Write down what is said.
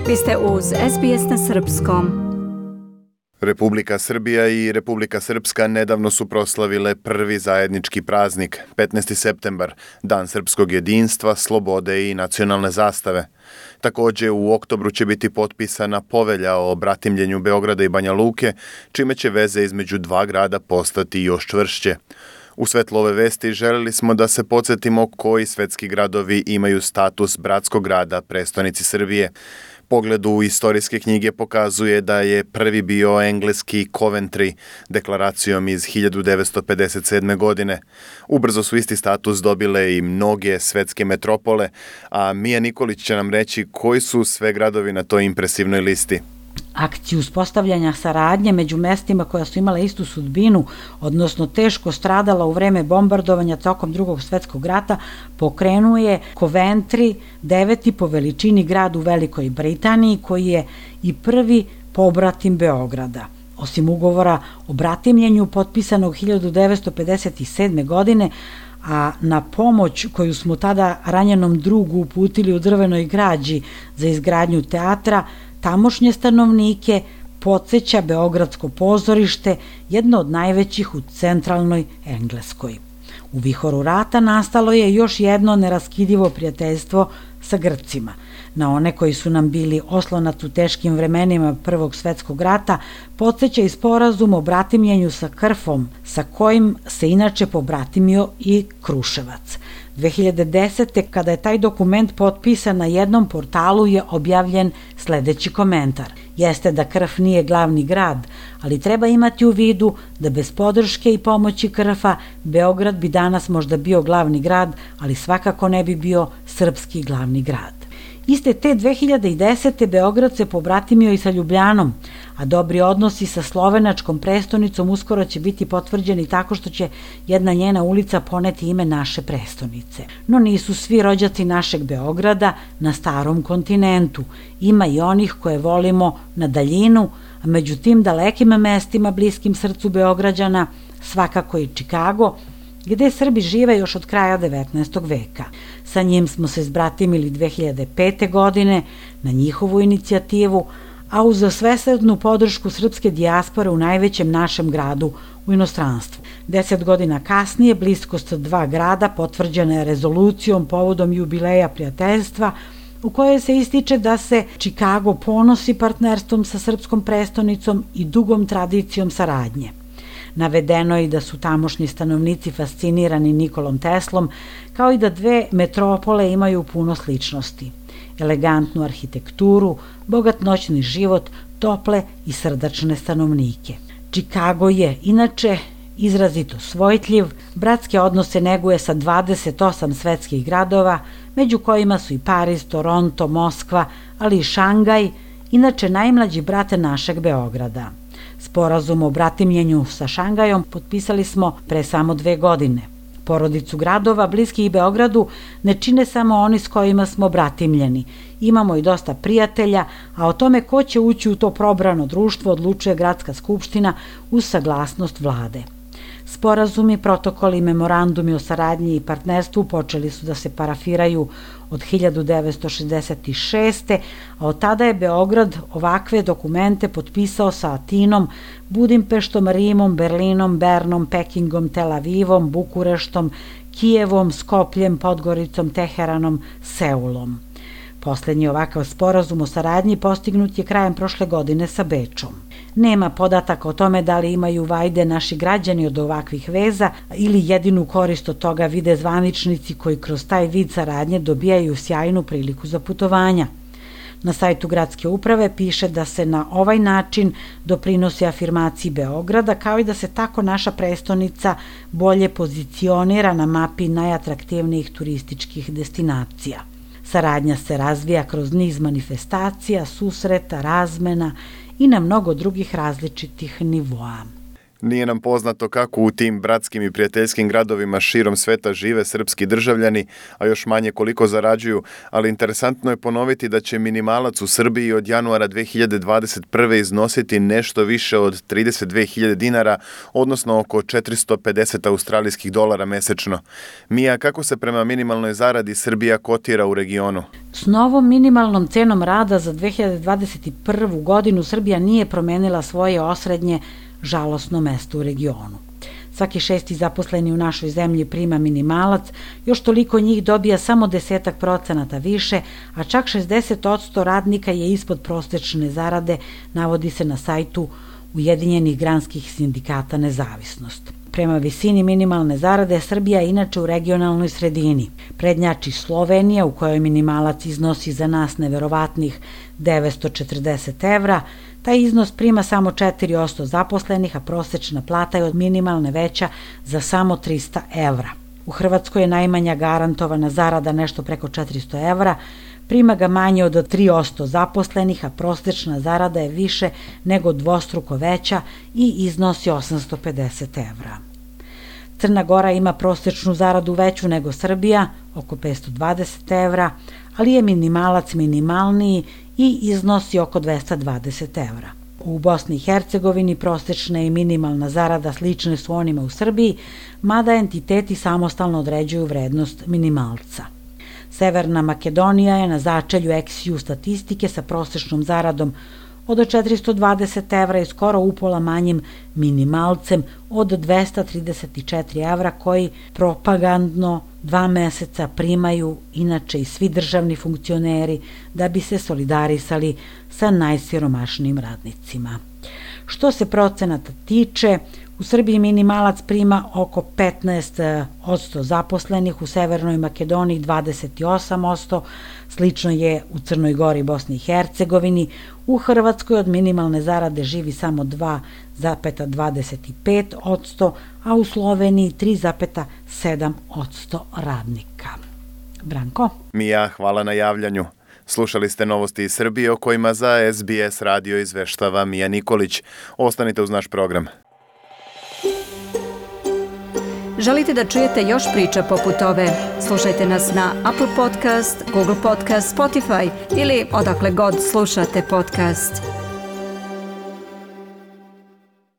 Vi ste uz SBS na Srpskom. Republika Srbija i Republika Srpska nedavno su proslavile prvi zajednički praznik, 15. septembar, Dan srpskog jedinstva, slobode i nacionalne zastave. Također u oktobru će biti potpisana povelja o bratimljenju Beograda i Banja Luke, čime će veze između dva grada postati još čvršće. U svetlu ove vesti želeli smo da se podsjetimo koji svetski gradovi imaju status bratskog grada prestonici Srbije. Pogled u istorijske knjige pokazuje da je prvi bio engleski Coventry deklaracijom iz 1957. godine. Ubrzo su isti status dobile i mnoge svetske metropole, a Mija Nikolić će nam reći koji su sve gradovi na toj impresivnoj listi. Akciju uspostavljanja saradnje među mestima koja su imala istu sudbinu, odnosno teško stradala u vreme bombardovanja tokom Drugog svjetskog rata, pokrenuo je Coventry, 9. po veličini grad u Velikoj Britaniji, koji je i prvi pobratim Beograda. Osim ugovora o bratimljenju potpisanog 1957. godine, a na pomoć koju smo tada ranjenom drugu uputili u Drvenoj građi za izgradnju teatra, tamošnje stanovnike podsjeća Beogradsko pozorište, jedno od najvećih u centralnoj Engleskoj. U vihoru rata nastalo je još jedno neraskidivo prijateljstvo sa Grcima. Na one koji su nam bili oslonac u teškim vremenima Prvog svjetskog rata podsjeća i sporazum o bratimljenju sa Krfom, sa kojim se inače pobratimio i Kruševac. 2010. kada je taj dokument potpisan na jednom portalu je objavljen sljedeći komentar. Jeste da Krf nije glavni grad, ali treba imati u vidu da bez podrške i pomoći Krfa Beograd bi danas možda bio glavni grad, ali svakako ne bi bio srpski glavni grad. Iste te 2010. Beograd se pobratimio i sa Ljubljanom, a dobri odnosi sa slovenačkom prestonicom uskoro će biti potvrđeni tako što će jedna njena ulica poneti ime naše prestonice. No nisu svi rođaci našeg Beograda na starom kontinentu. Ima i onih koje volimo na daljinu, a među tim dalekim mestima bliskim srcu Beograđana svakako i Čikago, gdje Srbi žive još od kraja 19. veka. Sa njim smo se zbratimili 2005. godine na njihovu inicijativu, a uz svesrdnu podršku srpske dijaspore u najvećem našem gradu u inostranstvu. 10 godina kasnije bliskost dva grada potvrđena je rezolucijom povodom jubileja prijateljstva, u kojoj se ističe da se Čikago ponosi partnerstvom sa srpskom prestonicom i dugom tradicijom saradnje. Navedeno je da su tamošnji stanovnici fascinirani Nikolom Teslom, kao i da dve metropole imaju puno sličnosti. Elegantnu arhitekturu, bogat noćni život, tople i srdačne stanovnike. Čikago je, inače, izrazito svojtljiv, bratske odnose neguje sa 28 svetskih gradova, među kojima su i Pariz, Toronto, Moskva, ali i Šangaj, inače najmlađi brate našeg Beograda. Sporazum o bratimljenju sa Šangajom potpisali smo pre samo 2 godine. Porodicu gradova bliskih Beogradu ne čine samo oni s kojima smo bratimljeni. Imamo i dosta prijatelja, a o tome ko će ući u to probrano društvo odlučuje Gradska skupština uz saglasnost vlade. Sporazumi, protokoli i memorandumi o saradnji i partnerstvu počeli su da se parafiraju od 1966. a od tada je Beograd ovakve dokumente potpisao sa Atinom, Budimpeštom, Rimom, Berlinom, Bernom, Pekingom, Tel Avivom, Bukureštom, Kijevom, Skopljem, Podgoricom, Teheranom, Seulom. Posljednji ovakav sporazum o saradnji postignut je krajem prošle godine sa Bečom. Nema podataka o tome da li imaju vajde naši građani od ovakvih veza ili jedinu korist od toga vide zvaničnici koji kroz taj vid saradnje dobijaju sjajnu priliku za putovanja. Na sajtu gradske uprave piše da se na ovaj način doprinosi afirmaciji Beograda, kao i da se tako naša prestonica bolje pozicionira na mapi najatraktivnijih turističkih destinacija. Saradnja se razvija kroz niz manifestacija, susreta, razmena i na mnogo drugih različitih nivoa. Nije nam poznato kako u tim bratskim i prijateljskim gradovima širom sveta žive srpski državljani, a još manje koliko zarađuju, ali interesantno je ponoviti da će minimalac u Srbiji od januara 2021. iznositi nešto više od 32.000 dinara, odnosno oko 450 australijskih dolara mesečno. Mija, kako se prema minimalnoj zaradi Srbija kotira u regionu? S novom minimalnom cenom rada za 2021. godinu Srbija nije promenila svoje osrednje žalosno mesto u regionu. Svaki 6. zaposleni u našoj zemlji prima minimalac, još toliko njih dobija samo 10% više, a čak 60% radnika je ispod prosečne zarade, navodi se na sajtu Ujedinjenih granskih sindikata Nezavisnost. Prema visini minimalne zarade, Srbija je inače u regionalnoj sredini. Prednjači Slovenija, u kojoj minimalac iznosi za nas neverovatnih 940 evra. Taj iznos prima samo 4% zaposlenih, a prosečna plata je od minimalne veća za samo 300 evra. U Hrvatskoj je najmanja garantovana zarada nešto preko 400 evra, prima ga manje od 3% zaposlenih, a prosečna zarada je više nego dvostruko veća i iznosi 850 evra. Crna Gora ima prosečnu zaradu veću nego Srbija, oko 520 evra, ali je minimalac minimalniji i iznosi oko 220 evra. U Bosni i Hercegovini prosečna i minimalna zarada slične su onima u Srbiji, mada entiteti samostalno određuju vrednost minimalca. Severna Makedonija je na začelju eksiju statistike sa prosečnom zaradom od 420 evra i skoro upola manjim minimalcem od 234 evra koji propagandno 2 meseca primaju inače i svi državni funkcioneri da bi se solidarisali sa najsiromašnijim radnicima. Što se procenata tiče, u Srbiji minimalac prima oko 15% zaposlenih, u Severnoj Makedoniji 28%, slično je u Crnoj Gori i Bosni i Hercegovini, u Hrvatskoj od minimalne zarade živi samo 2,25%, a u Sloveniji 3,7% radnika. Branko? Mija, hvala na javljanju. Slušali ste novosti iz Srbije o kojima za SBS radio izveštava Mija Nikolić. Ostanite uz naš program. Želite da čujete još priča poput ove? Slušajte nas na Apple Podcast, Google Podcast, Spotify ili odakle god slušate podcast.